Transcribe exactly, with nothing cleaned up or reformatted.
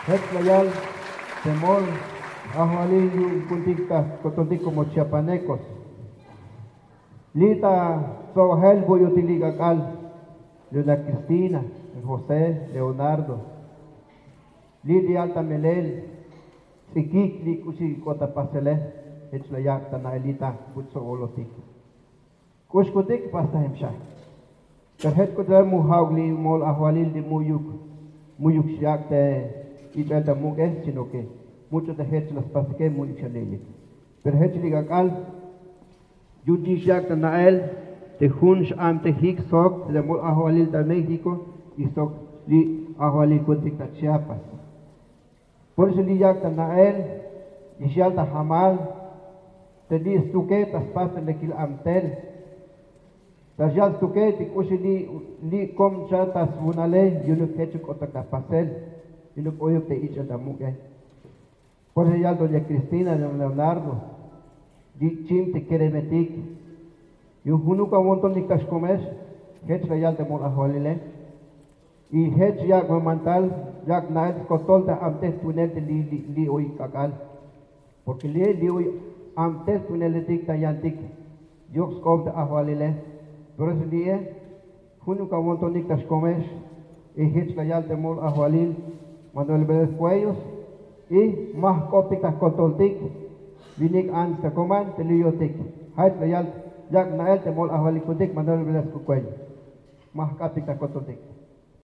Jech la yal te mol ajwalil yu'un ku'untik ta kotoltik como chiapanecos. Li' ta ts'o'bajel bu'yutik li' k'ak'al, Leona Cristina, José, Leonardo. Li' li' yal ta melel ts'ikik li' k'uxi k'ot ta pasele. Jech la yak' ta na'el li' ta buts'o'olotik. K'ux kutik pastajem xa. Pero jech k'uch'ulal mu ja'uk li' mol ajwalil li' mu'yuk, mu'yuk xyak' te ich'el ta muk'e, sino que much'o te jech la spasike mu'yuk xa li' li'. Pero jech li' k'ak'al yu'un chi xyak' ta na'el te jun x'amtejik sok te mol ajwalil ta México y sok li' ajwalil ku'untik ta Chiapas. Por eso li' yak' ta na'el, y xyal ta jamal te li' stukel ta spas te lekil amtel. Ta xyal stukel te k'uxi li', li' kom cha ta swunale yu'unuk jechuk k'otak ta pasel, yu'unuk oyuk te ich'el ta muk'e. Por eso yal doña Cristina, don Leonardo, li' chim te keremetik yu'un junuk awo'ntonik ta xkomex. Jech la yal te mol ajwalile. Y jech yak' mamantal, yak' na'el skotol te amtej tu'unel te li', li', li' oy k'ak'al. Porque li', li' oy amtej tu'uneletik ta yantik yok sk'op te ajwalile. Por eso li'e junuk awo'ntonik ta xkomex. Y jech la yal te mol ajwalil Manuel Vélez Cuellos, y ma jk'optik ta jkotoltik. Winik ants ta koman te li' yo'tik. Jech la yal, yak' na'el te mol ajwalil ku'untik Manuel Vélez Cuellos. Ma jk'optik ta jkotoltik.